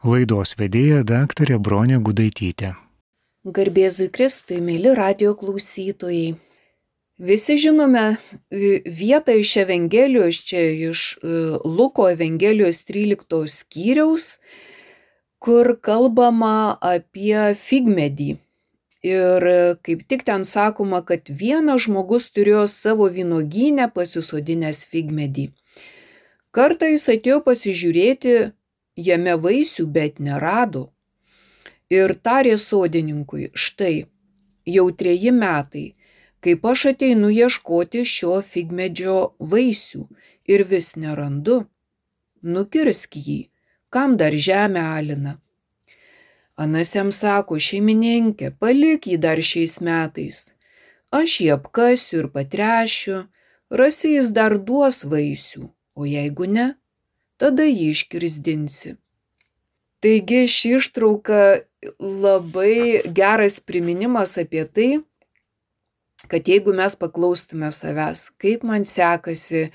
Laidos vedėja daktarė Bronė Gudaitytė. Garbėzui Kristui, mėly radijo klausytojai. Visi žinome vietą iš Evangelijos, čia iš Luko Evangelijos 13 skyriaus, kur kalbama apie figmedį. Ir kaip tik ten sakoma, kad vienas žmogus turėjo savo vynuogyne pasisodinęs figmedį. Kartą jis atėjo pasižiūrėti jame vaisių, bet nerado. Ir tarė sodininkui: štai, jau 3 metai, kaip aš ateinu ieškoti šio figmedžio vaisių ir vis nerandu. Nukirsk jį, kam dar žemę alina. Anas jam sako: šeimininkė, palik jį dar šiais metais. Aš jį apkasiu ir patrešiu, rasi jis dar duos vaisių, o jeigu ne, tada jį iškirsdinsi. Taigi ši ištrauka labai geras priminimas apie tai, kad jeigu mes paklaustume savęs, kaip man sekasi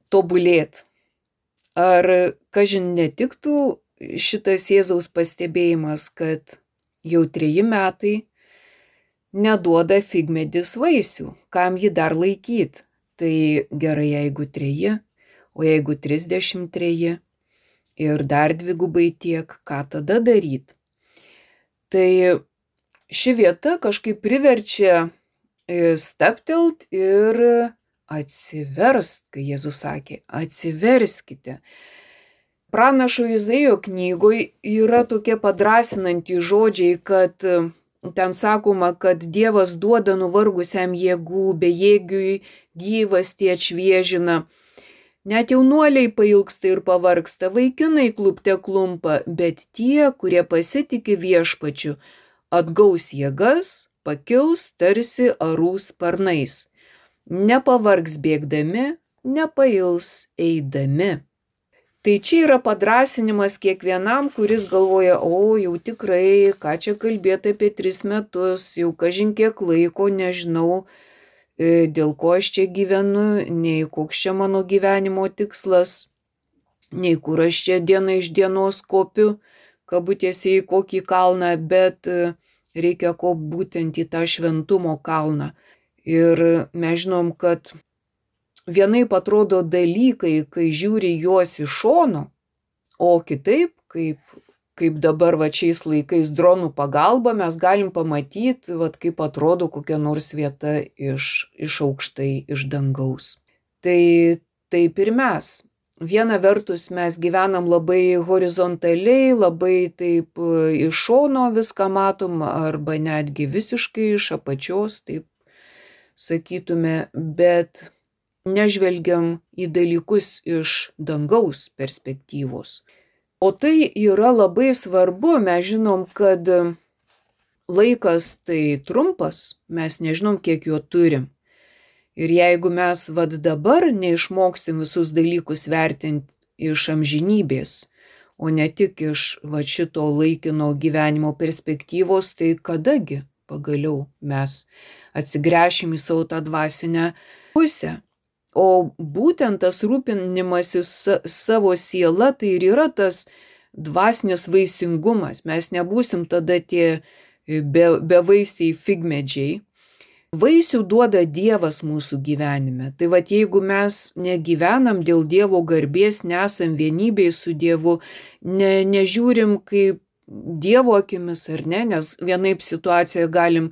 tobulėti, ar kažin netiktų šitas Jėzaus pastebėjimas, kad jau 3 metai neduoda figmedis vaisių, kam jį dar laikyti. Tai gerai, jeigu 3, o jeigu 33 ir dar 2 tiek, ką tada daryti? Tai ši vieta kažkaip priverčia stabtelt ir atsiverst, kai Jėzus sakė: atsiverskite. Pranašo Izaijo knygoje yra tokie padrasinantys žodžiai, kad ten sakoma, kad Dievas duoda nuvargusiam jėgų, bejėgiui gyvastį atšviežina. Net jaunuoliai pailgsta ir pavargsta, vaikinai klupte klumpa, bet tie, kurie pasitiki viešpačiu, atgaus jėgas, pakils tarsi arų sparnais. Nepavargs bėgdami, nepails eidami. Tai čia yra padrasinimas kiekvienam, kuris galvoja: o jau tikrai, ką čia kalbėti apie 3 metus, jau kažin kiek laiko, nežinau, dėl ko aš čia gyvenu, nei koks čia mano gyvenimo tikslas, nei kur aš čia diena iš dienos kopiu, kabutėse į kokį kalną, bet reikia kopti būtent į tą šventumo kalną. Ir mes žinom, kad vienaip atrodo dalykai, kai žiūri juos iš šono, o kitaip, kaip dabar šiais laikais dronų pagalba mes galim pamatyti, kaip atrodo kokia nors vieta iš aukštai, iš dangaus. Tai taip ir mes. Viena vertus mes gyvenam labai horizontaliai, labai taip iš šono viską matom, arba netgi visiškai iš apačios, taip sakytume, bet nežvelgiam į dalykus iš dangaus perspektyvos. O tai yra labai svarbu, mes žinom, kad laikas tai trumpas, mes nežinom, kiek jo turim. Ir jeigu mes dabar neišmoksim visus dalykus vertinti iš amžinybės, o ne tik iš šito laikino gyvenimo perspektyvos, tai kadagi pagaliau mes atsigręšim į savo tą dvasinę pusę. O būtent tas rūpinimasis savo siela, tai ir yra tas dvasinis vaisingumas. Mes nebūsim tada tie bevaisiai figmedžiai. Vaisių duoda Dievas mūsų gyvenime. Tai jeigu mes negyvenam dėl Dievo garbės, nesam vienybėj su Dievu, nežiūrim kaip Dievo akimis ar ne, nes vienaip situaciją galim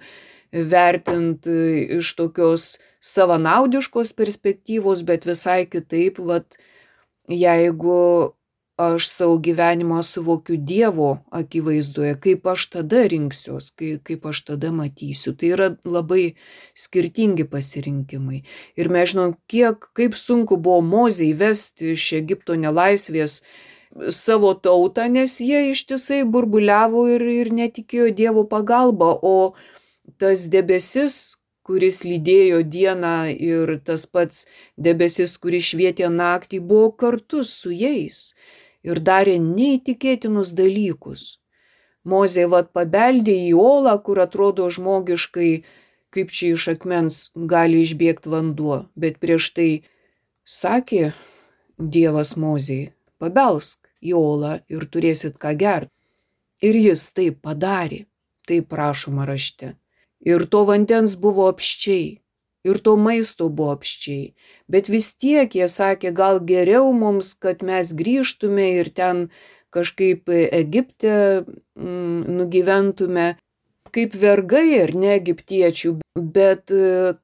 vertinti iš tokios savanaudiškos perspektyvos, bet visai kitaip, jeigu aš savo gyvenimą suvokiu Dievo akivaizdoje, kaip aš tada rinksiuos, kaip aš tada matysiu. Tai yra labai skirtingi pasirinkimai. Ir mes žinom, kaip sunku buvo Mozei vesti iš Egipto nelaisvės savo tautą, nes jie ištisai burbuliavo ir netikėjo Dievo pagalba, o tas debesis, kuris lydėjo dieną, ir tas pats debesis, kuris švietė naktį, buvo kartu su jais ir darė neįtikėtinus dalykus. Mozė pabeldė į olą, kur atrodo žmogiškai, kaip čia iš akmens gali išbėgti vanduo, bet prieš tai sakė Dievas Mozei: pabelsk. į olą ir turėsit ką gerti. Ir jis taip padarė, taip rašoma rašte. Ir to vandens buvo apsčiai, ir to maisto buvo apsčiai. Bet vis tiek jie sakė, gal geriau mums, kad mes grįžtume ir ten kažkaip Egipte nugyventume kaip vergai ar ne egiptiečių. Bet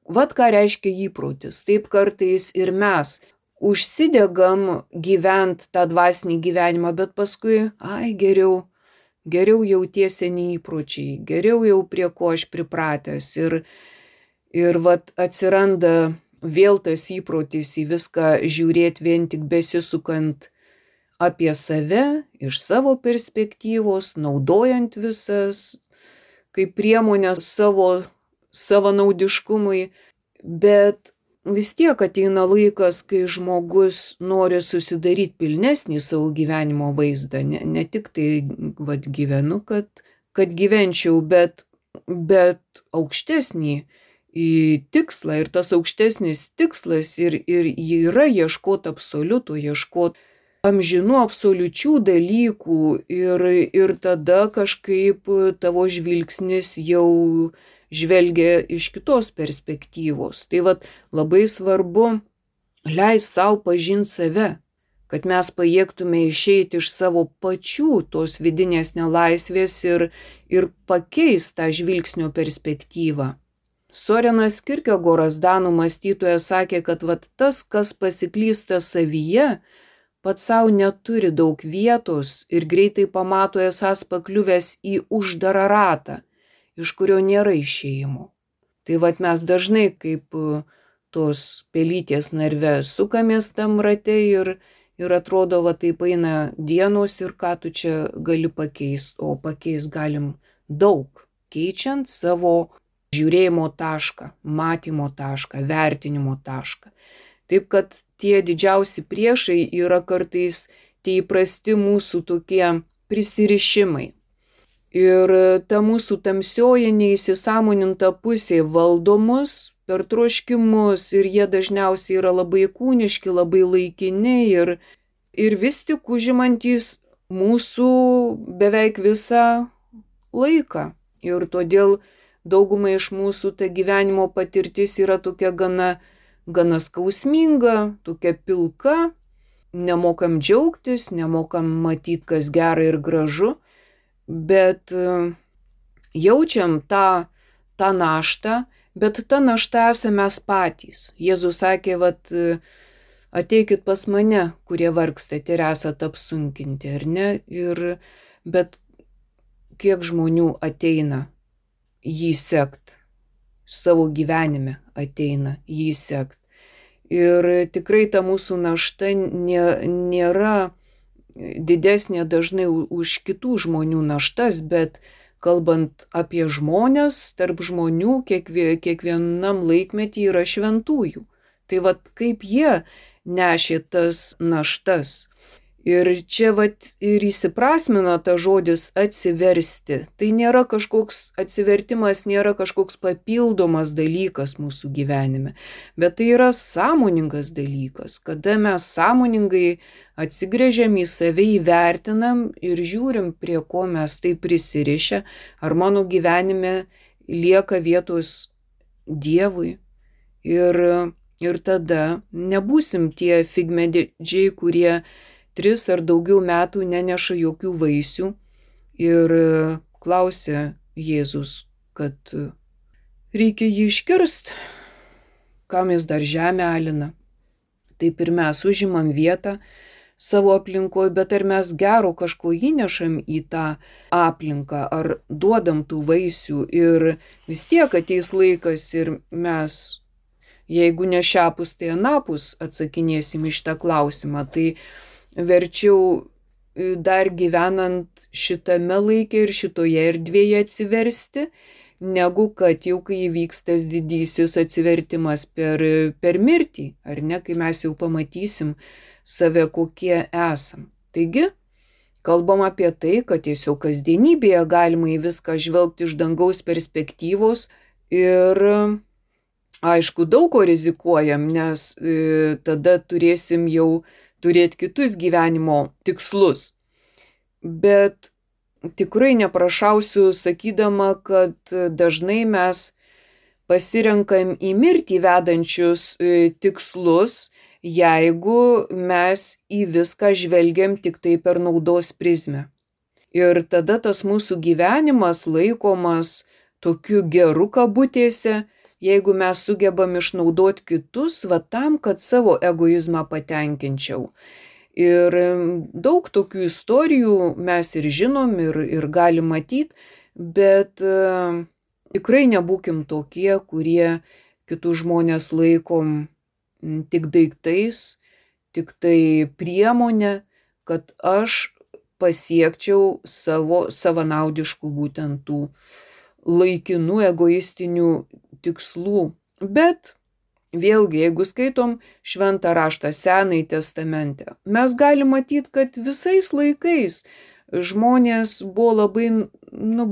vat ką reiškia įprotis. Taip kartais ir mes užsidegam gyvent tą dvasinį gyvenimą, bet paskui, geriau jau tie seni įpročiai, geriau jau prie ko aš pripratęs. Ir vat atsiranda vėl tas įprotis į viską žiūrėti vien tik besisukant apie save, iš savo perspektyvos, naudojant visas kaip priemonės savo savanaudiškumui. Bet vis tiek ateina laikas, kai žmogus nori susidaryti pilnesnį savo gyvenimo vaizdą. Ne tik tai gyvenu, kad gyvenčiau, bet aukštesnį tikslą. Ir tas aukštesnis tikslas ir yra ieškoti absoliuto, ieškoti amžinų absoliučių dalykų. Ir tada kažkaip tavo žvilgsnis jau žvelgia iš kitos perspektyvos. Tai labai svarbu leisti savo pažinti save, kad mes pajėgtume išeiti iš savo pačių tos vidinės nelaisvės ir pakeisti tą žvilgsnio perspektyvą. Sorenas Kierkegoras, danų mąstytojas, sakė, kad tas, kas pasiklysta savyje, pats savo neturi daug vietos ir greitai pamato esąs pakliuvęs į uždarą ratą, iš kurio nėra išėjimo. Tai mes dažnai kaip tos pelytės narve sukamės tam rate ir atrodo, taip eina dienos ir ką tu čia gali pakeisti, o pakeisti galim daug, keičiant savo žiūrėjimo tašką, matymo tašką, vertinimo tašką. Taip kad tie didžiausi priešai yra kartais tie įprasti mūsų tokie prisirišimai. Ir ta mūsų tamsioji neįsisąmoninta pusė valdo mus per troškimus ir jie dažniausiai yra labai kūniški, labai laikini ir vis tik užimantys mūsų beveik visą laiką. Ir todėl daugumai iš mūsų ta gyvenimo patirtis yra tokia gana skausminga, tokia pilka, nemokam džiaugtis, nemokam matyti, kas gera ir gražu, bet jaučiam tą naštą, bet ta našta esame mes patys. Jėzus sakė, ateikit pas mane, kurie vargstate ir esate apsunkinti, ar ne? Bet kiek žmonių ateina jį sekt, savo gyvenime ateina jį sekt. Ir tikrai ta mūsų našta nėra didesnė dažnai už kitų žmonių naštas, bet kalbant apie žmonės, tarp žmonių kiekvienam laikmetį yra šventųjų. Tai kaip jie nešė tas naštas. Ir čia ir įsiprasmina ta žodis atsiversti. Tai nėra kažkoks atsivertimas, nėra kažkoks papildomas dalykas mūsų gyvenime, bet tai yra sąmoningas dalykas, kada mes sąmoningai atsigręžiam į save, įvertinam ir žiūrim, prie ko mes tai prisirišę, ar mano gyvenime lieka vietos Dievui. Ir tada nebūsim tie figmedžiai, kurie 3 ar daugiau metų neneša jokių vaisių. Ir klausė Jėzus, kad reikia jį iškirst, kam jis dar žemę alina. Taip ir mes užimam vietą savo aplinkoje, bet ar mes gero kažko įnešam į tą aplinką, ar duodam tų vaisių. Ir vis tiek ateis laikas ir mes, jeigu ne šiapus, tai anapus atsakinėsim iš tą klausimą. Tai verčiau dar gyvenant šitame laike ir šitoje erdvėje atsiversti, negu kad jau kai įvyks tas didysis atsivertimas per mirtį, ar ne, kai mes jau pamatysim save, kokie esam. Taigi, kalbam apie tai, kad tiesiog kasdienybėje galima į viską žvelgti iš dangaus perspektyvos ir aišku, daug ko rizikuojam, nes tada turėsim jau turėti kitus gyvenimo tikslus. Bet tikrai neprašausiu sakydama, kad dažnai mes pasirenkam į mirtį vedančius tikslus, jeigu mes į viską žvelgiam tik tai per naudos prizmę. Ir tada tas mūsų gyvenimas laikomas tokiu geru kabutėse, jeigu mes sugebam išnaudoti kitus va tam, kad savo egoizmą patenkinčiau. Ir daug tokių istorijų mes ir žinom, ir galim matyti, bet tikrai nebūkim tokie, kurie kitus žmonės laikom tik daiktais, tik tai priemonė, kad aš pasiekčiau savo savanaudiškų būtent tų laikinų egoistinių tikslų. Bet vėlgi, jeigu skaitom Šventą raštą Senąjį testamente, mes galim matyti, kad visais laikais žmonės buvo labai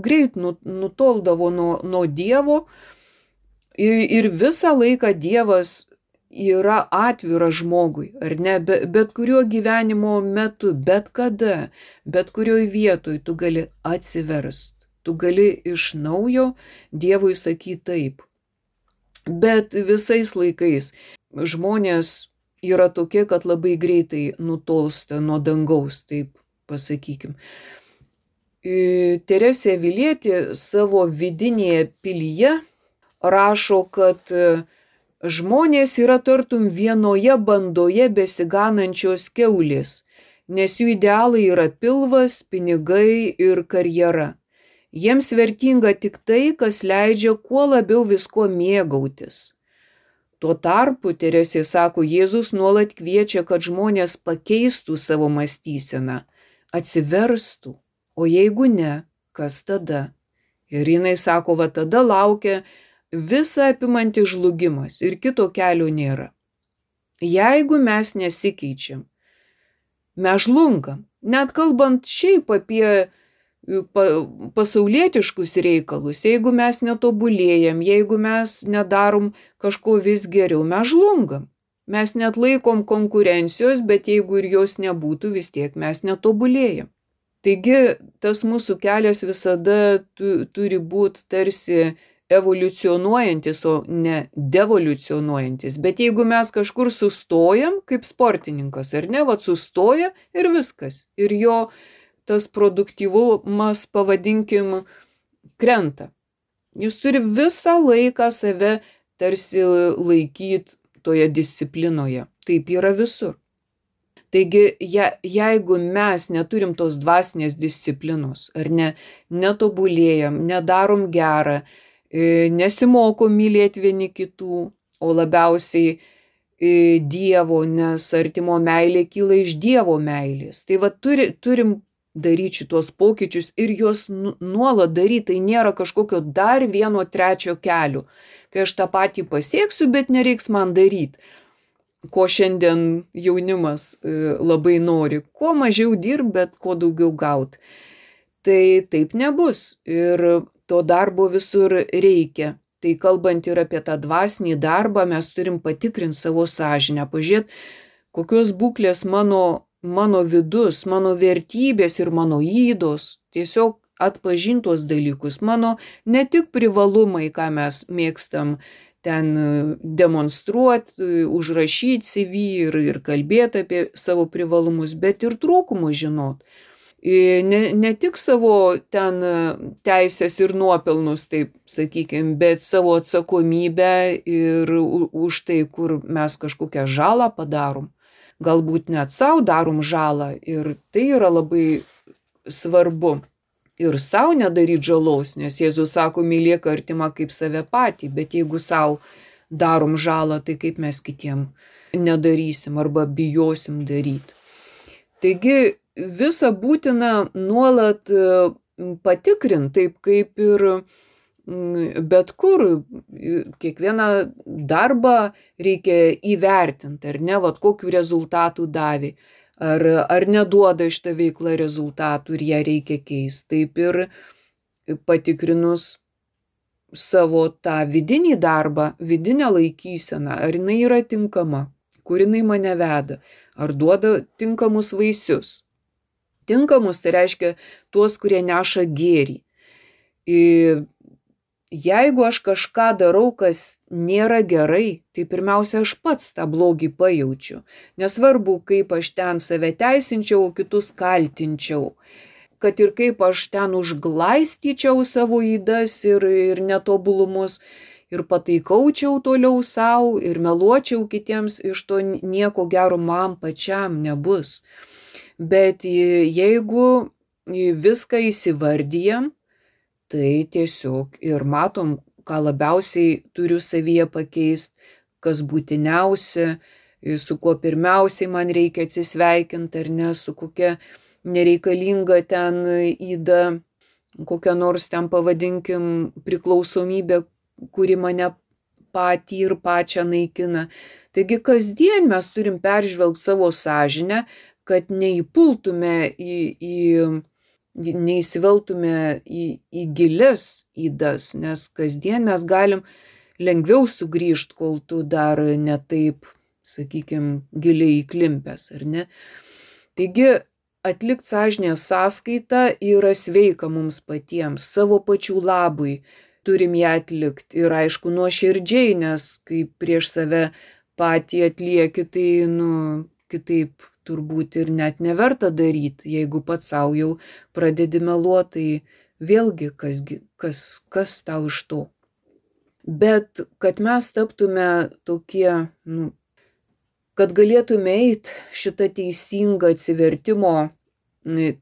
greit nutoldavo nuo Dievo ir visą laiką Dievas yra atviras žmogui, ar ne, bet kuriuo gyvenimo metu, bet kada, bet kurioj vietoj tu gali atsiverst, tu gali iš naujo Dievui sakyti taip. Bet visais laikais žmonės yra tokie, kad labai greitai nutolsta nuo dangaus, taip pasakykim. Teresė Avilietė savo vidinėje pilyje rašo, kad žmonės yra tartum vienoje bandoje besiganančios kiaulės, nes jų idealai yra pilvas, pinigai ir karjera. Jiems vertinga tik tai, kas leidžia kuo labiau visko mėgautis. Tuo tarpu, Teresė sako, Jėzus nuolat kviečia, kad žmonės pakeistų savo mąstyseną, atsiverstų, o jeigu ne, kas tada? Ir jinai sako, va tada laukia visa apimantis žlugimas ir kito kelio nėra. Jeigu mes nesikeičiam, mes žlungam, net kalbant šiaip apie pasaulietiškus reikalus, jeigu mes netobulėjam, jeigu mes nedarom kažko vis geriau, mes žlungam. Mes net laikom konkurencijos, bet jeigu ir jos nebūtų, vis tiek mes netobulėjam. Taigi tas mūsų kelias visada turi būti tarsi evoliucionuojantis, o ne devoliucionuojantis. Bet jeigu mes kažkur sustojam, kaip sportininkas, ar ne, vat sustoja ir viskas. Ir jo tas produktyvumas, pavadinkim, krenta. Jis turi visą laiką save tarsi laikyti toje disciplinoje. Taip yra visur. Taigi, jeigu mes neturim tos dvasinės disciplinos, ar ne, netobulėjam, nedarom gerą, nesimokom mylėti vieni kitų, o labiausiai Dievo, nes artimo meilė kyla iš Dievo meilės. Tai va turim daryti šitos pokyčius ir juos nuolat daryti, tai nėra kažkokio dar vieno trečio kelio, kai aš tą patį pasieksiu, bet nereiks man daryti, ko šiandien jaunimas labai nori, kuo mažiau dirb, bet kuo daugiau gaut. Tai taip nebus ir to darbo visur reikia. Tai kalbant ir apie tą dvasinį darbą, mes turim patikrinti savo sąžinę, pažiūrėti, kokios būklės mano vidus, mano vertybės ir mano ydos, tiesiog atpažintos dalykus, mano ne tik privalumai, ką mes mėgstam ten demonstruoti, užrašyti CV ir kalbėti apie savo privalumus, bet ir trūkumus žinot. Ne tik savo ten teisės ir nuopelnus, taip sakykime, bet savo atsakomybę ir už tai, kur mes kažkokią žalą padarom. Galbūt net savo darom žalą ir tai yra labai svarbu. Ir savo nedaryti žalos, nes Jėzus sako, mylėk artimą kaip save patį, bet jeigu savo darom žalą, tai kaip mes kitiem nedarysim arba bijosim daryti. Taigi visą būtina nuolat patikrinti, taip kaip ir bet kur, kiekvieną darbą reikia įvertinti, ar ne, vat kokių rezultatų davė, ar neduoda šitą veiklą rezultatų ir ją reikia keisti. Taip ir patikrinus savo tą vidinį darbą, vidinę laikyseną, ar jinai yra tinkama, kur jinai mane veda, ar duoda tinkamus vaisius. Tinkamus tai reiškia tuos, kurie neša gėrį. Ir jeigu aš kažką darau, kas nėra gerai, tai pirmiausia aš pats tą blogį pajaučiu. Nesvarbu, kaip aš ten save teisinčiau, kitus kaltinčiau. Kad ir kaip aš ten užglaistyčiau savo ydas ir netobulumus ir pataikaučiau toliau savo ir meluočiau kitiems, iš to nieko gero man pačiam nebus. Bet jeigu viską įsivardyjam, tai tiesiog ir matom, ką labiausiai turiu savyje pakeisti, kas būtiniausia, su kuo pirmiausiai man reikia atsisveikinti ar ne, su kokia nereikalinga ten yda, kokia nors ten pavadinkim priklausomybė, kuri mane patį ir pačią naikina. Taigi kasdien mes turim peržvelgti savo sąžinę, kad neįpultume neįsiveltume į gilias ydas, nes kasdien mes galim lengviau sugrįžti, kol tu dar ne taip, sakykime, giliai įklimpęs, ar ne? Taigi, atlikti sąžinės sąskaitą yra sveika mums patiems, savo pačių labui turim ją atlikti ir aišku nuoširdžiai, nes kai prieš save patį atlieki, tai kitaip turbūt ir net neverta daryti, jeigu pats savo jau pradedi meluoti, tai vėlgi kas tau iš to. Bet kad mes taptume tokie, kad galėtume eiti šitą teisingą atsivertimo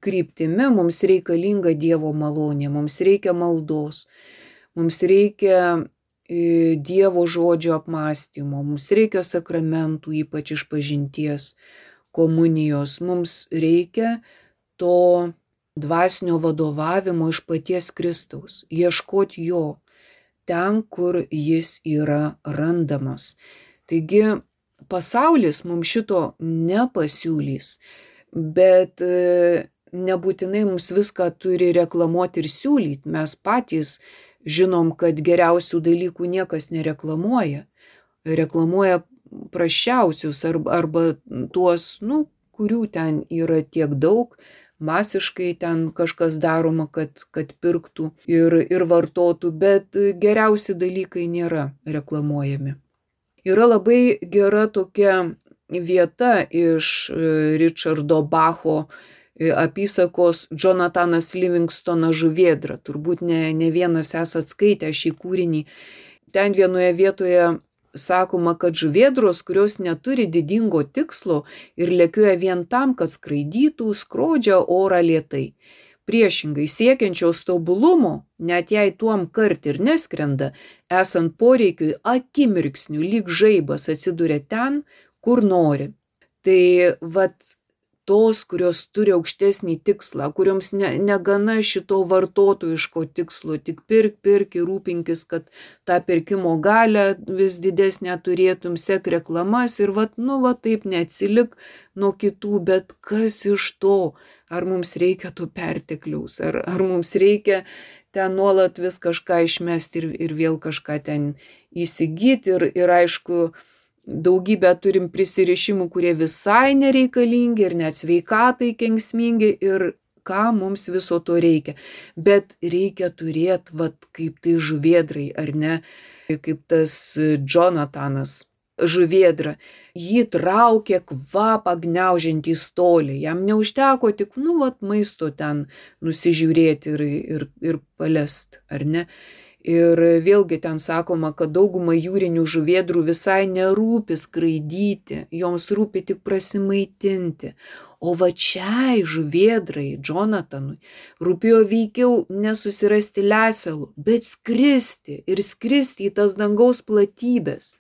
kryptimi, mums reikalinga Dievo malonė, mums reikia maldos, mums reikia Dievo žodžio apmąstymo, mums reikia sakramentų, ypač išpažinties, komunijos, mums reikia to dvasinio vadovavimo iš paties Kristaus, ieškoti jo ten, kur jis yra randamas. Taigi pasaulis mums šito nepasiūlys, bet nebūtinai mums viską turi reklamuoti ir siūlyti. Mes patys žinom, kad geriausių dalykų niekas nereklamuoja. Reklamuoja prasčiausius arba tuos, kurių ten yra tiek daug, masiškai ten kažkas daroma, kad pirktų ir vartotų, bet geriausi dalykai nėra reklamuojami. Yra labai gera tokia vieta iš Richardo Bacho apysakos Jonathanas Livingstonas Žuvėdra. Turbūt ne vienas esat skaitę šį kūrinį. Ten vienoje vietoje sakoma, kad žuvėdros, kurios neturi didingo tikslo ir lėkioja vien tam, kad skraidytų, skrodžia orą lėtai. Priešingai siekiančios tobulumo, net jei tuom kart ir neskrenda, esant poreikiui akimirksniu lyg žaibas atsiduria ten, kur nori. Tai tos, kurios turi aukštesnį tikslą, kurioms negana šito vartotojiško tikslo, tik pirk ir rūpinkis, kad tą pirkimo galią vis didesnę turėtum, sek reklamas ir taip neatsilik nuo kitų, bet kas iš to? Ar mums reikia to pertekliaus, ar mums reikia ten nuolat vis kažką išmesti ir vėl kažką ten įsigyti ir aišku, daugybę turim prisirišimų, kurie visai nereikalingi ir net sveikatai kenksmingi ir ką mums viso to reikia. Bet reikia turėti, kaip tai žuvėdrai, ar ne, kaip tas Jonathanas žuvėdra. Jį traukė kvapą gniaužiantį stolį. Jam neužteko tik, maisto ten nusižiūrėti ir palest, ar ne. Ir vėlgi ten sakoma, kad dauguma jūrinių žuvėdrų visai nerūpi skraidyti, joms rūpi tik prasimaitinti. O šiai žuvėdrai, Jonathanui, rūpėjo veikiau nesusirasti lesalų, bet skristi į tas dangaus platybės.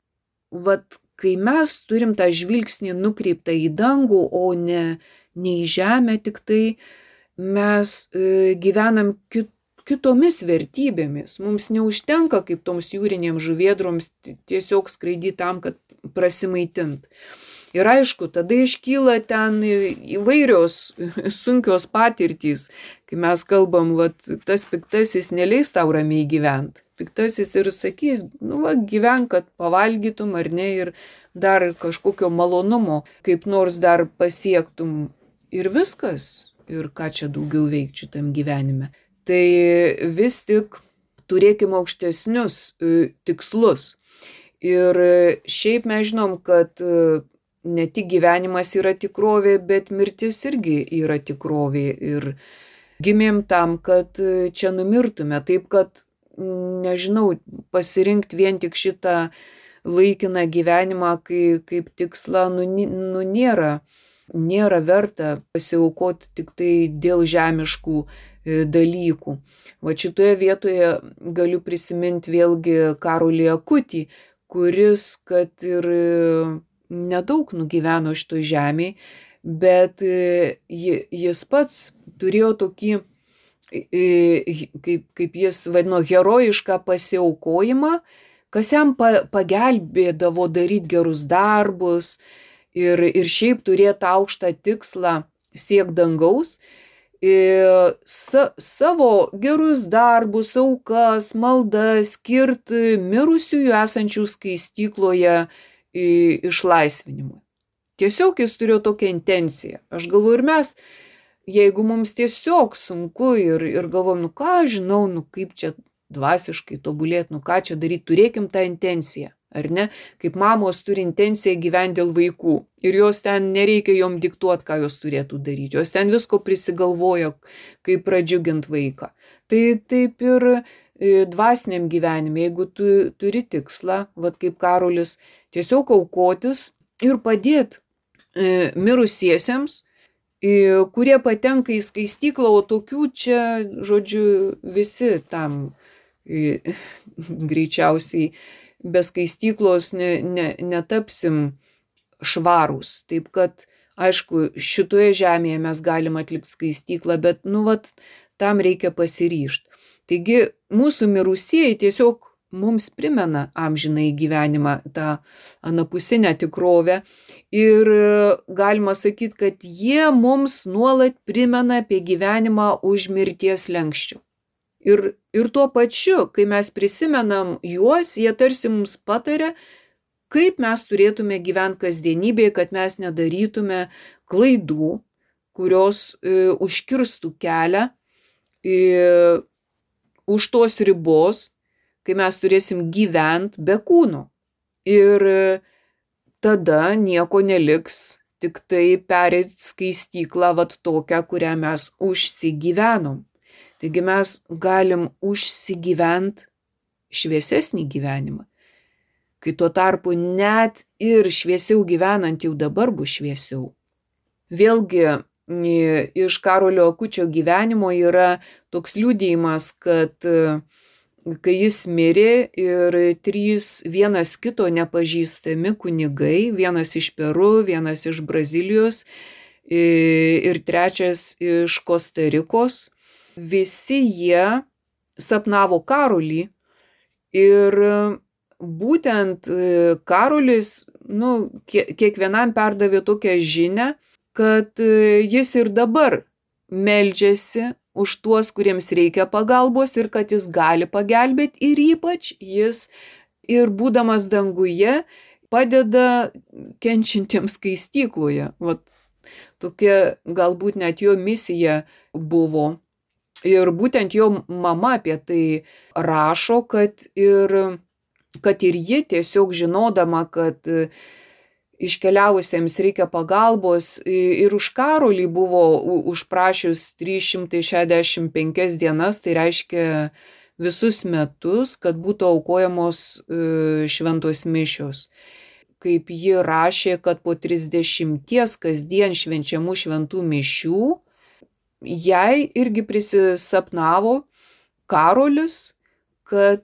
Kai mes turim tą žvilgsnį nukreiptą į dangų, o ne į žemę, tik tai mes gyvenam kitomis vertybėmis. Mums neužtenka, kaip toms jūrinėms žuvėdroms, tiesiog skraidyti tam, kad prasimaitint. Ir aišku, tada iškyla ten įvairios sunkios patirtys, kai mes kalbam, tas piktasis neleis tau ramiai gyventi. Piktasis ir sakys, gyvenk, kad pavalgytum ar ne, ir dar kažkokio malonumo, kaip nors dar pasiektum. Ir viskas. ir ką čia daugiau veikti šitam gyvenime. Tai vis tik turėkime aukštesnius tikslus. Ir šiaip mes žinom, kad ne tik gyvenimas yra tikrovė, bet mirtis irgi yra tikrovė. Ir gimėm tam, kad čia numirtume. Taip, kad, nežinau, pasirinkti vien tik šitą laikiną gyvenimą kaip tikslą, nėra verta pasiaukoti tik tai dėl žemiškų dalykų. Va šitoje vietoje galiu prisiminti vėlgi Karolį Akutį, kuris, kad ir nedaug nugyveno šitoj žemėje, bet jis pats turėjo tokį, kaip jis vadino, herojišką pasiaukojimą, kas jam pagelbėdavo daryti gerus darbus ir šiaip turėti aukštą tikslą siekti dangaus. Savo gerus darbus, aukas, maldas skirti mirusiųjų esančių skaistykloje išlaisvinimui. Tiesiog jis turėjo tokią intenciją. Aš galvoju, ir mes, jeigu mums tiesiog sunku ir galvojam, ką žinau, kaip čia dvasiškai tobulėti, ką čia daryti, turėkim tą intenciją, ar ne? Kaip mamos turi intenciją gyventi dėl vaikų ir jos ten nereikia jom diktuoti, ką jos turėtų daryti, jos ten visko prisigalvoja, kaip pradžiuginti vaiką. Tai taip ir dvasiniam gyvenime, jeigu tu turi tikslą, vat kaip Karolis, tiesiog aukotis ir padėti mirusiesiems, kurie patenka į skaistyklą, o tokių čia, žodžiu, visi tam greičiausiai be skaistyklos netapsim švarūs. Taip kad, aišku, šitoje žemėje mes galim atlikti skaistyklą, bet, tam reikia pasiryžti. Taigi, mūsų mirusieji tiesiog mums primena amžinąjį gyvenimą, tą anapusinę tikrovę ir galima sakyti, kad jie mums nuolat primena apie gyvenimą už mirties slenksčio. Ir tuo pačiu, kai mes prisimenam juos, jie tarsi mums pataria, kaip mes turėtume gyventi kasdienybėje, kad mes nedarytume klaidų, kurios užkirstų kelią už tos ribos, kai mes turėsim gyventi be kūno. Ir tada nieko neliks, tik tai pereit skaistyklą tokią, kurią mes užsigyvenom. Taigi mes galim užsigyventi šviesesnį gyvenimą, kai tuo tarpu net ir šviesiau gyvenant jau dabar bus šviesiau. Vėlgi iš Karolio Akučio gyvenimo yra toks liudijimas, kad kai jis mirė ir 3 vienas kito nepažįstami kunigai, vienas iš Peru, vienas iš Brazilijos ir 3 iš Kostarikos, visi jie sapnavo Karolį ir būtent Karolis kiekvienam perdavė tokią žinią, kad jis ir dabar meldžiasi už tuos, kuriems reikia pagalbos ir kad jis gali pagelbėti ir ypač jis ir būdamas danguje padeda kenčiantiems skaistykloje. Tokia galbūt net jo misija buvo. Ir būtent jo mama apie tai rašo, kad ir ji tiesiog žinodama, kad iškeliavusiems reikia pagalbos ir už Karolį buvo užprašius 365 dienas, tai reiškia visus metus, kad būtų aukojamos šventos mišios. Kaip ji rašė, kad po 30 kasdien švenčiamų šventų mišių jai irgi prisisapnavo Karolis, kad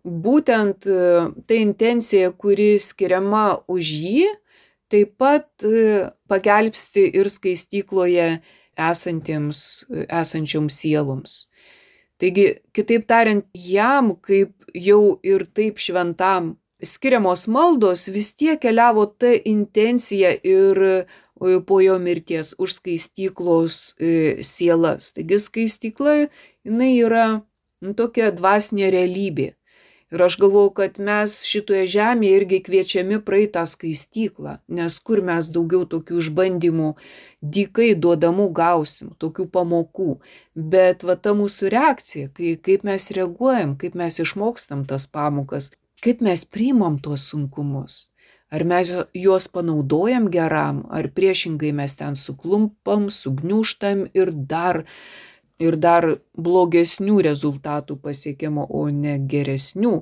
būtent ta intencija, kuri skiriama už jį, taip pat pagelbsti ir skaistykloje esančioms sieloms. Taigi, kitaip tariant, jam, kaip jau ir taip šventam skiriamos maldos, vis tiek keliavo ta intencija ir po jo mirties už skaistyklos sielas. Taigi skaistykla, jinai yra tokia dvasinė realybė. Ir aš galvoju, kad mes šitoje žemėje irgi kviečiami praeiti tą skaistyklą, nes kur mes daugiau tokių išbandymų dykai duodamų gausim, tokių pamokų. Bet va ta mūsų reakcija, kaip mes reaguojam, kaip mes išmokstam tas pamokas, kaip mes priimam tuos sunkumus. Ar mes juos panaudojam geram, ar priešingai mes ten suklumpam, sugniužtam ir dar blogesnių rezultatų pasiekiamo, o ne geresnių.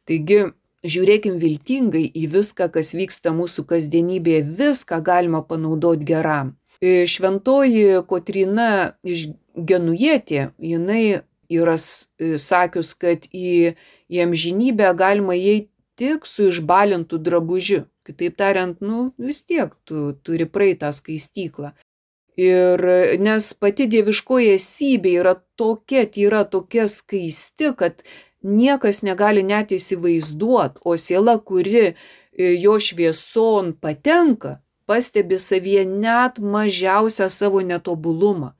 Taigi, žiūrėkim viltingai į viską, kas vyksta mūsų kasdienybėje, viską galima panaudoti geram. Šventoji Kotryna iš Genujietė, jinai yra sakius, kad į amžinybę galima įeiti tik su išbalintu drabužiu. Kitaip tariant, vis tiek tu turi praeitą skaistyklą. Ir nes pati dieviškoji esybė yra tokia tyra, tokia skaisti, kad niekas negali net įsivaizduoti, o siela, kuri jo švieson patenka, pastebi savyje net mažiausią savo netobulumą.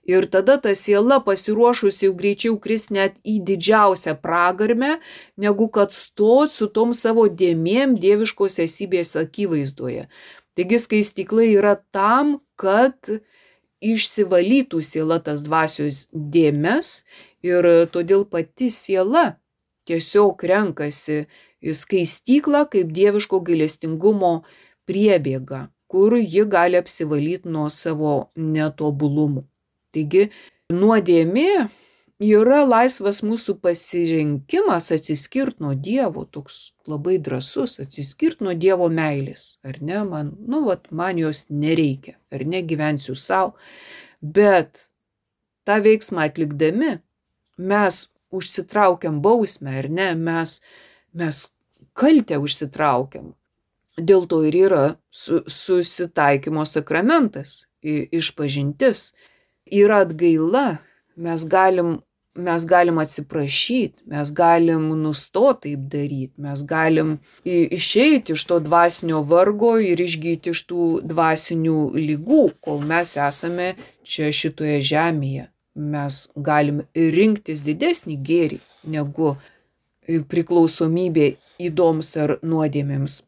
Ir tada ta siela pasiruošusi jau greičiau kris net į didžiausią pragarmę, negu kad stot su tom savo dėmėm dieviškos esybės akivaizdoje. Taigi skaistykla yra tam, kad išsivalytų siela tas dvasios dėmes ir todėl pati siela tiesiog renkasi skaistyklą kaip dieviško gailestingumo priebėga, kur ji gali apsivalyti nuo savo netobulumų. Taigi nuodėmė yra laisvas mūsų pasirinkimas atsiskirti nuo Dievo, toks labai drąsus, atsiskirti nuo Dievo meilės, ar ne, man jos nereikia, ar ne, gyvensiu savo, bet tą veiksmą atlikdami mes užsitraukiam bausmę, ar ne, mes kaltę užsitraukiam. Dėl to ir yra susitaikymo sakramentas, išpažintis, yra atgaila, mes galim atsiprašyti, mes galim nustoti taip daryti, mes galim išeiti iš to dvasinio vargo ir išgyti iš tų dvasinių ligų, kol mes esame čia šitoje žemėje. Mes galim rinktis didesnį gėrį negu priklausomybė ydoms ar nuodėmėms.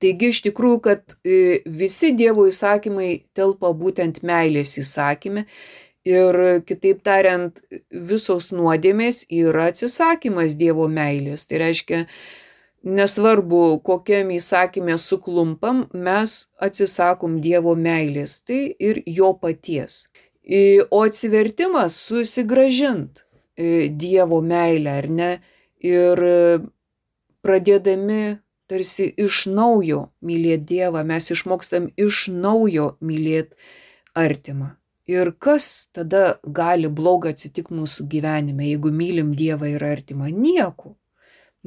Taigi iš tikrųjų, kad visi Dievo įsakymai telpa būtent meilės įsakyme ir kitaip tariant, visos nuodėmės yra atsisakymas Dievo meilės. Tai reiškia, nesvarbu, kokiam įsakymė suklumpam, mes atsisakom Dievo meilės, tai ir jo paties. O atsivertimas susigrąžint Dievo meilę, ar ne, ir pradėdami tarsi iš naujo mylėti Dievą, mes išmokstam iš naujo mylėti artimą. Ir kas tada gali bloga atsitikti mūsų gyvenime, jeigu mylim Dievą ir artimą? Nieko.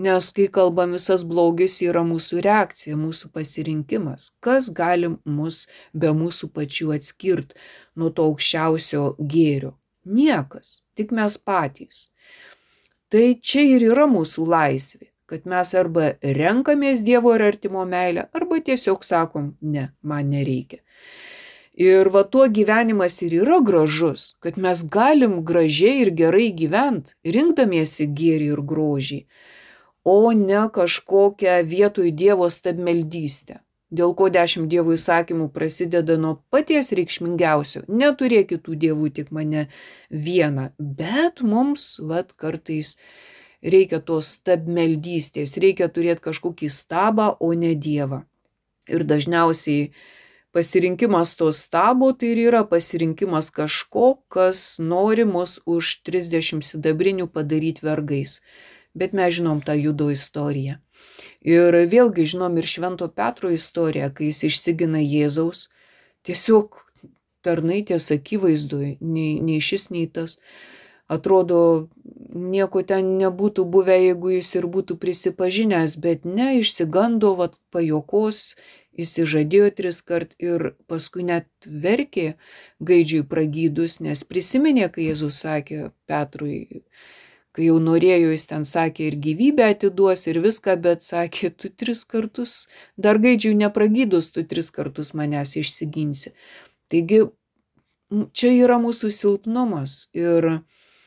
Nes kai kalbam, visas blogis yra mūsų reakcija, mūsų pasirinkimas. Kas gali mus be mūsų pačių atskirti nuo to aukščiausio gėrio? Niekas, tik mes patys. Tai čia ir yra mūsų laisvė, kad mes arba renkamės Dievo ir artimo meilę, arba tiesiog sakom, ne, man nereikia. Ir va tuo gyvenimas ir yra gražus, kad mes galim gražiai ir gerai gyventi, rinkdamiesi gėrį ir grožį, o ne kažkokią vietoj Dievo stabmeldystę. Dėl ko 10 Dievo įsakymų prasideda nuo paties reikšmingiausio. Neturėk kitų dievų, tik mane vieną. Bet mums kartais reikia tos stabmeldystės, reikia turėti kažkokį stabą, o ne Dievą. Ir dažniausiai pasirinkimas to stabo tai ir yra pasirinkimas kažko, kas nori mus už 30 sidabrinių padaryti vergais. Bet mes žinom tą Judo istoriją. Ir vėlgi žinom ir Švento Petro istoriją, kai jis išsigina Jėzaus. Tiesiog tarnai ties akivaizdoj, nei šis, nei tas. Atrodo, nieko ten nebūtų buvę, jeigu jis ir būtų prisipažinęs, bet ne, išsigando, pajokos, įsižadėjo 3 kart ir paskui net verkė gaidžiui pragydus, nes prisiminė, kai Jėzus sakė Petrui, kai jau norėjo, jis ten sakė ir gyvybę atiduos ir viską, bet sakė, tu 3 kartus, dar gaidžiui nepragydus, tu 3 kartus manęs išsiginsi. Taigi, čia yra mūsų silpnumas ir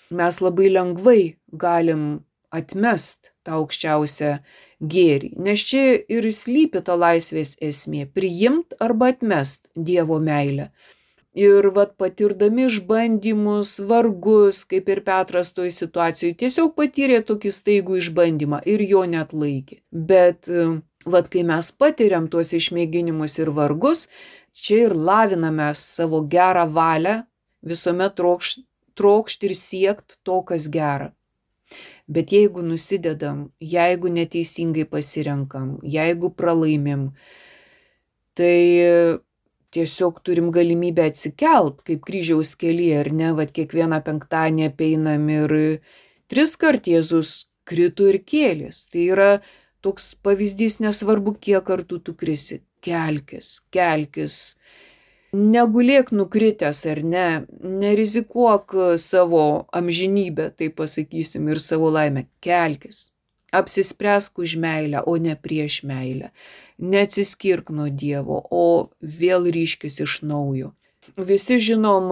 mes labai lengvai galim atmest tą aukščiausią gėrį. Nes čia ir slypi ta laisvės esmė - priimt arba atmest Dievo meilę. Ir patirdami išbandymus, vargus, kaip ir Petras toj situacijoj, tiesiog patyrė tokį staigų išbandymą ir jo neatlaikė. Bet kai mes patiriam tuos išmėginimus ir vargus, čia ir laviname savo gerą valią, visuomet trokšti ir siekt to, kas gera. Bet jeigu nusidedam, jeigu neteisingai pasirenkam, jeigu pralaimim, tai tiesiog turim galimybę atsikelt, kaip kryžiaus kelyje, ar ne, kiekvieną penktadienį apeinam ir 3 kart Jėzus krito ir kėlės. Tai yra toks pavyzdys, nesvarbu, kiek kartų tu krisi. Kelkis. Negulėk nukritęs, ar ne, nerizikuok savo amžinybę, taip pasakysim, ir savo laimę. Kelkis. Apsispręsk už meilę, o ne prieš meilę. Neatsiskirk nuo Dievo, o vėl ryškis iš naujo. Visi žinom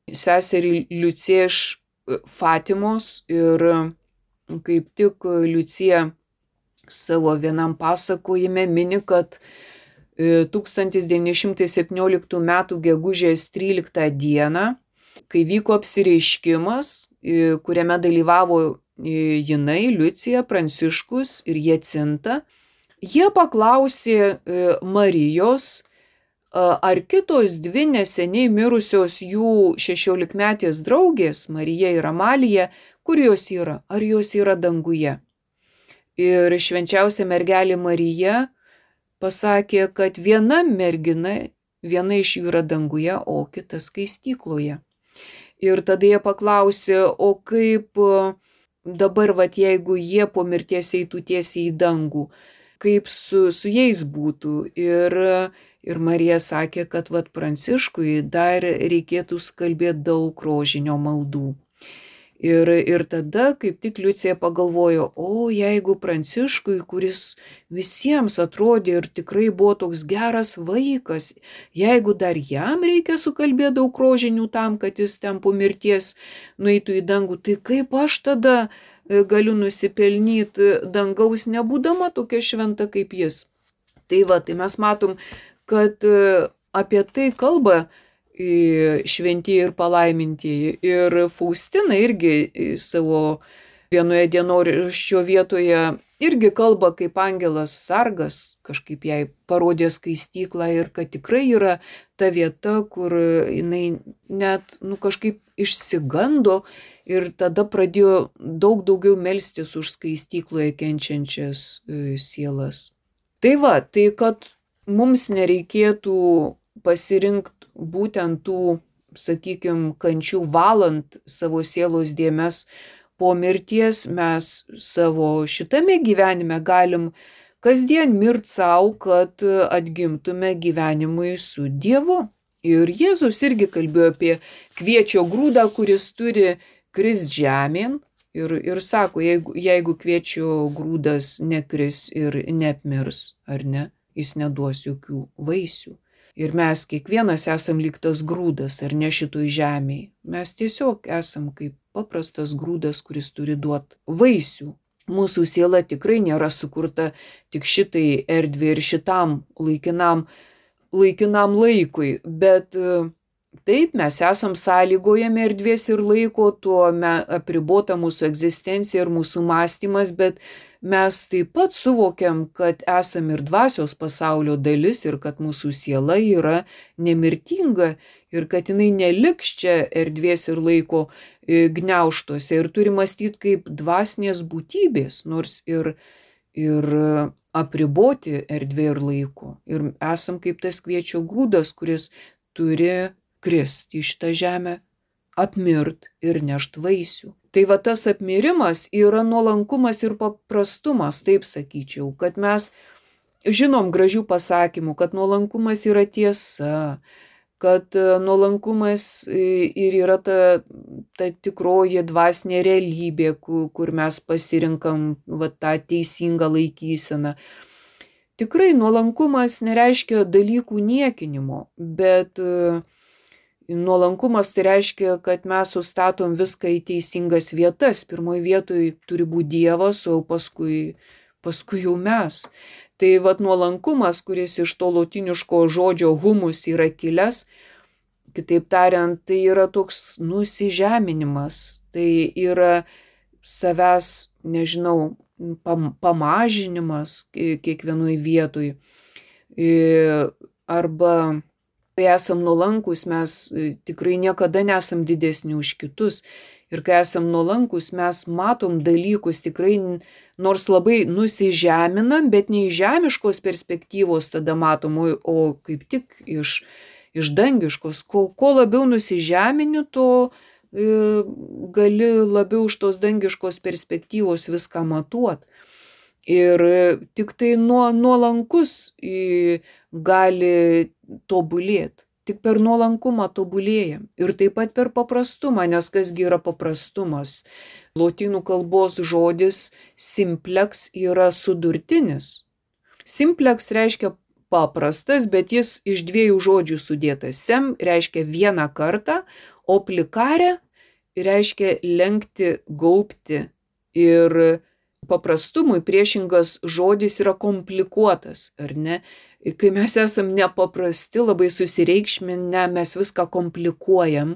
seserį Liuciją iš Fatimos ir kaip tik Liucija savo vienam pasakojime mini, kad 1917 m. gegužės 13 dieną, kai vyko apsireiškimas, kuriame dalyvavo jinai, Liucija, Pranciškus ir Jacinta, jie paklausė Marijos, ar kitos 2 neseniai mirusios jų 16-metės draugės, Marija ir Amalija, kur jos yra, ar jos yra danguje. Ir švenčiausia mergelė Marija pasakė, kad viena mergina, viena iš jų yra danguje, o kita skaistykloje. Ir tada jie paklausė, o kaip dabar, jeigu jie po mirties eitų tiesiai į dangų, kaip su jais būtų. Ir Marija sakė, kad Pranciškui dar reikėtų kalbėti daug rožinio maldų. Ir tada kaip tik Liucija pagalvojo, o jeigu Pranciškui, kuris visiems atrodė ir tikrai buvo toks geras vaikas, jeigu dar jam reikia sukalbėti daug rožinių tam, kad jis ten po mirties nueitų į dangų, tai kaip aš tada galiu nusipelnyti dangaus, nebūdama tokia šventa kaip jis. Tai mes matom, kad apie tai kalba šventieji ir palaimintieji. Ir Faustina irgi savo vienoje dienoraščio vietoje irgi kalba, kaip angelas sargas kažkaip jai parodė skaistyklą ir kad tikrai yra ta vieta, kur jinai net kažkaip išsigando ir tada pradėjo daug daugiau melstis už skaistykloje kenčiančias sielas. Tai kad mums nereikėtų pasirinkti būtent tų, sakykime, kančių valant savo sielos dėmes po mirties, mes savo šitame gyvenime galim kasdien mirt savo, kad atgimtume gyvenimui su Dievu. Ir Jėzus irgi kalbėjo apie kviečio grūdą, kuris turi krist žemėn. Ir sako, jeigu kviečio grūdas nekris ir neapmirs, ar ne, jis neduos jokių vaisių. Ir mes kiekvienas esam lyg tas grūdas, ar ne šitoj žemėj. Mes tiesiog esam kaip paprastas grūdas, kuris turi duoti vaisių. Mūsų siela tikrai nėra sukurta tik šitai erdvė ir šitam laikinam laikui, bet taip mes esam sąlygojami erdvės ir laiko, tuo apribota mūsų egzistencija ir mūsų mąstymas, bet mes taip pat suvokiam, kad esam ir dvasios pasaulio dalis ir kad mūsų siela yra nemirtinga ir kad jinai neliks čia erdvės ir laiko gniaužtuose ir turi mąstyti kaip dvasinės būtybės, nors ir apriboti erdvė ir laiko. Ir esam kaip tas kviečio grūdas, kuris turi kristi į šitą žemę, apmirt ir nešt vaisių. Tai tas apmirimas yra nuolankumas ir paprastumas, taip sakyčiau, kad mes žinom gražių pasakymų, kad nuolankumas yra tiesa, kad nuolankumas ir yra ta tikroji dvasinė realybė, kur mes pasirinkam tą teisingą laikyseną. Tikrai nuolankumas nereiškia dalykų niekinimo, bet Nuolankumas tai reiškia, kad mes sustatom viską į teisingas vietas. Pirmoje vietoje turi būti Dievas, o paskui jau mes. Tai vat nuolankumas, kuris iš to lotiniško žodžio humus yra kilęs, kitaip tariant, tai yra toks nusižeminimas. Tai yra savęs, nežinau, pamažinimas kiekvienoj vietoj. Arba kai esam nuolankus, mes tikrai niekada nesam didesni už kitus. Ir kai esam nuolankus, mes matom dalykus tikrai, nors labai nusižeminam, bet ne iš žemiškos perspektyvos tada matom, o kaip tik iš dangiškos. Ko labiau nusižemini, to gali labiau iš tos dangiškos perspektyvos viską matuot. Ir tik tai nuolankus gali tobulėti. Tik per nuolankumą tobulėjam. Ir taip pat per paprastumą, nes kasgi yra paprastumas. Lotynų kalbos žodis simplex yra sudurtinis. Simplex reiškia paprastas, bet jis iš dviejų žodžių sudėtas. Sem reiškia vieną kartą, o plikare reiškia lenkti, gaubti. Ir paprastumui priešingas žodis yra komplikuotas, ar ne? Kai mes esam nepaprasti, labai susireikšminę, mes viską komplikuojam,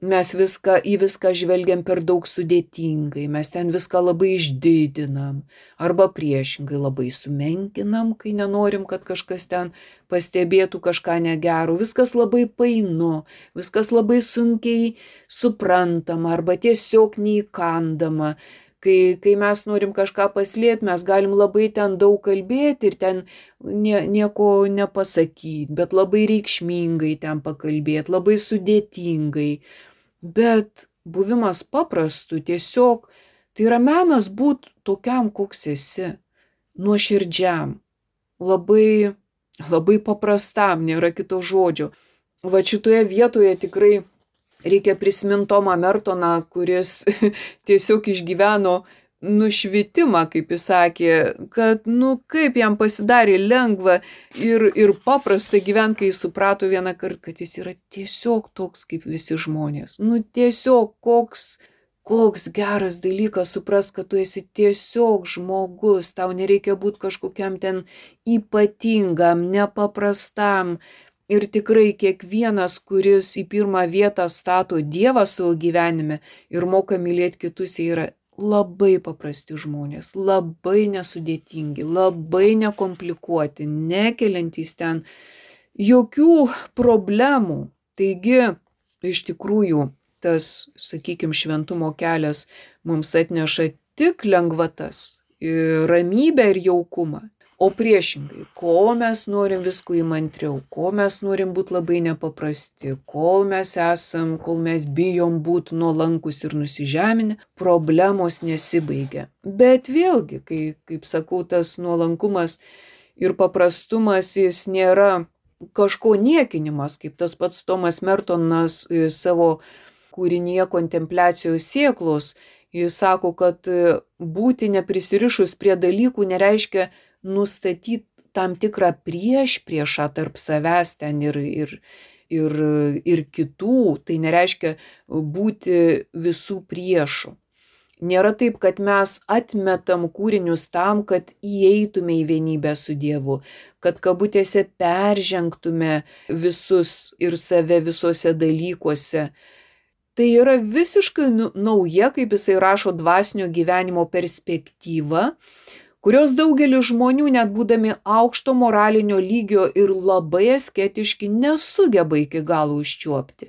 mes į viską žvelgiam per daug sudėtingai, mes ten viską labai išdidinam, arba priešingai labai sumenkinam, kai nenorim, kad kažkas ten pastebėtų kažką negero. Viskas labai painu, viskas labai sunkiai suprantama, arba tiesiog neįkandama. Kai mes norim kažką paslėpti, mes galim labai ten daug kalbėti ir ten nieko nepasakyti, bet labai reikšmingai ten pakalbėti, labai sudėtingai. Bet buvimas paprastu tiesiog, tai yra menas būti tokiam, koks esi, nuoširdžiam, labai, labai paprastam, nėra kito žodžio. Va šitoje vietoje tikrai reikia prisiminti Tomą Mertoną, kuris tiesiog išgyveno nušvitimą, kaip jis sakė, kad kaip jam pasidarė lengva ir paprasta gyventi, kai jis suprato vieną kartą, kad jis yra tiesiog toks kaip visi žmonės. Tiesiog koks geras dalykas supras, kad tu esi tiesiog žmogus, tau nereikia būti kažkokiam ten ypatingam, nepaprastam. Ir tikrai kiekvienas, kuris į pirmą vietą stato Dievą savo gyvenime ir moka mylėti kitus, jie yra labai paprasti žmonės, labai nesudėtingi, labai nekomplikuoti, nekeliantys ten jokių problemų. Taigi, iš tikrųjų, tas, sakykime, šventumo kelias mums atneša tik lengvatas, ramybę ir jaukumą. O priešingai, ko mes norim visko įmantriau, ko mes norim būti labai nepaprasti, kol mes bijom būti nuolankus ir nusižeminę, problemos nesibaigia. Bet vėlgi, kaip sakau, tas nuolankumas ir paprastumas, jis nėra kažko niekinimas, kaip tas pats Tomas Mertonas savo kūrinyje Kontempliacijos sėklos, jis sako, kad būti neprisirišus prie dalykų nereiškia nustatyti tam tikrą priešpriešą tarp savęs ten ir kitų, tai nereiškia būti visų priešų. Nėra taip, kad mes atmetam kūrinius tam, kad įeitume į vienybę su Dievu, kad kabutėse peržengtume visus ir save visuose dalykuose. Tai yra visiškai nauja, kaip jisai rašo, dvasinio gyvenimo perspektyva, kurios daugelis žmonių, net būdami aukšto moralinio lygio ir labai asketiški, nesugeba iki galo užčiuopti.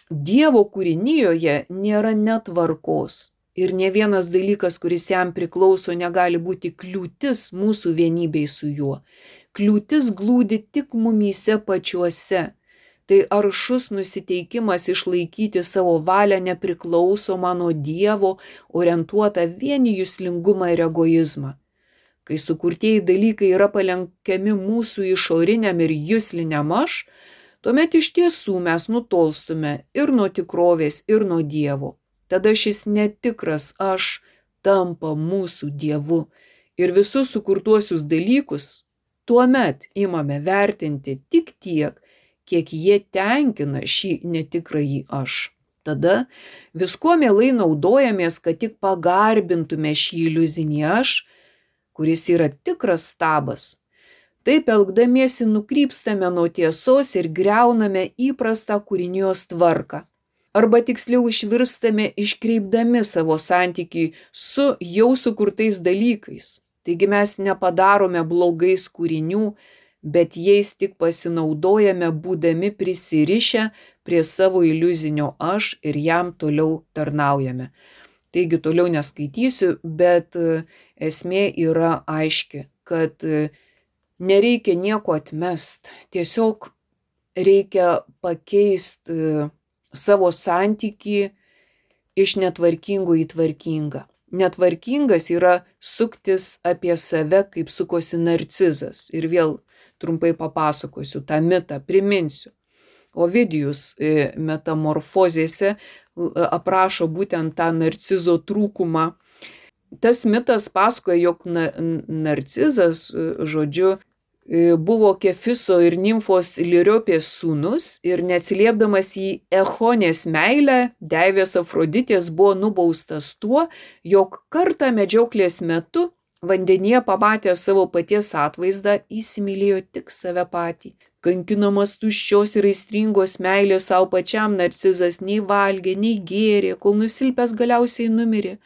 Dievo kūrinijoje nėra netvarkos ir ne vienas dalykas, kuris jam priklauso, negali būti kliūtis mūsų vienybei su juo. Kliūtis glūdi tik mumyse pačiuose. Tai aršus nusiteikimas išlaikyti savo valią nepriklausomą nuo Dievo, orientuotą vien į juslingumą ir egoizmą. Kai sukurtieji dalykai yra palenkiami mūsų išoriniam ir jusliniam aš, tuomet iš tiesų mes nutolstume ir nuo tikrovės, ir nuo Dievo. Tada šis netikras aš tampa mūsų Dievu ir visus sukurtuosius dalykus tuomet imame vertinti tik tiek, kiek jie tenkina šį netikrąjį aš. Tada viskuo mielai naudojamės, kad tik pagarbintume šį iliuzinį aš, kuris yra tikras stabas. Taip elgdamiesi nukrypstame nuo tiesos ir griauname įprastą kūrinijos tvarką. Arba tiksliau išvirstame iškreipdami savo santykį su jau sukurtais dalykais. Taigi mes nepadarome blogais kūrinių, bet jais tik pasinaudojame, būdami prisirišę prie savo iliuzinio aš ir jam toliau tarnaujame. Taigi toliau neskaitysiu, bet esmė yra aiški, kad nereikia nieko atmest, tiesiog reikia pakeisti savo santykį iš netvarkingo į tvarkingą. Netvarkingas yra suktis apie save, kaip sukosi narcizas. Ir vėl trumpai papasakosiu tą mitą, priminsiu. Ovidijus metamorfozėse aprašo būtent tą narcizo trūkumą. Tas mitas pasakoja, jog narcizas, žodžiu, buvo Kefiso ir Nimfos Liriopės sūnus ir neatsiliepdamas į Echonės meilę, deivės Afroditės buvo nubaustas tuo, jog kartą medžioklės metu vandenyje pamatęs savo paties atvaizdą įsimylėjo tik save patį. Kankinamas tuščios ir aistringos meilės savo pačiam, narcizas nei valgė, nei gėrė, kol nusilpęs galiausiai numirė,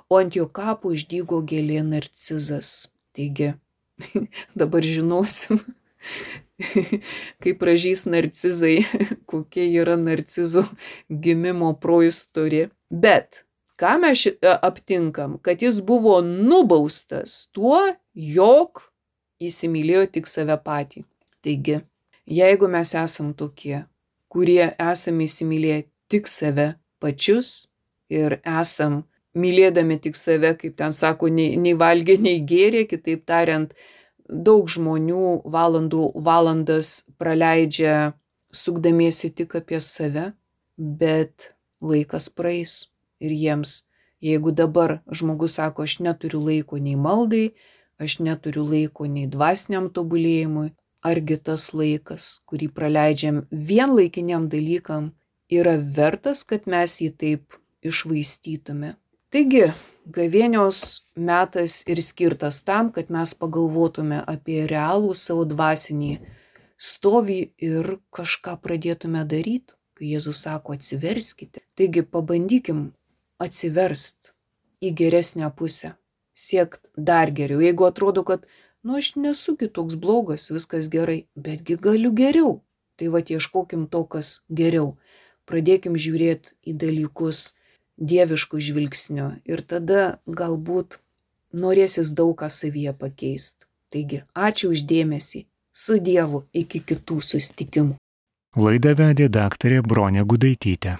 o ant jo kapo išdygo gėlė narcizas. Taigi, dabar žinosim, kaip pražys narcizai, kokie yra narcizų gimimo proistorė. Bet ką mes aptinkam? Kad jis buvo nubaustas tuo, jog įsimylėjo tik save patį. Taigi, jeigu mes esam tokie, kurie esame įsimylėję tik save pačius ir esam mylėdami tik save, kaip ten sako, nei valgė, nei gėrė, kitaip tariant, daug žmonių valandas praleidžia sukdamiesi tik apie save, bet laikas praeis ir jiems, jeigu dabar žmogus sako, aš neturiu laiko nei maldai, aš neturiu laiko nei dvasiniam tobulėjimui, argi tas laikas, kurį praleidžiam vien laikiniam dalykam, yra vertas, kad mes jį taip išvaistytume. Taigi, gavėnios metas ir skirtas tam, kad mes pagalvotume apie realų savo dvasinį stovį ir kažką pradėtume daryti, kai Jėzus sako atsiverskite. Taigi, pabandykim atsiverst į geresnę pusę, siekt dar geriau. Jeigu atrodo, kad, aš nesu kitoks blogas, viskas gerai, betgi galiu geriau, tai ieškokim to, kas geriau. Pradėkim žiūrėti į dalykus dieviškų žvilgsnių ir tada galbūt norėsis daug ką savyje pakeisti. Taigi, ačiū už dėmesį. Su Dievu iki kitų susitikimų. Laidą vedė daktarė Bronė Gudaitytė.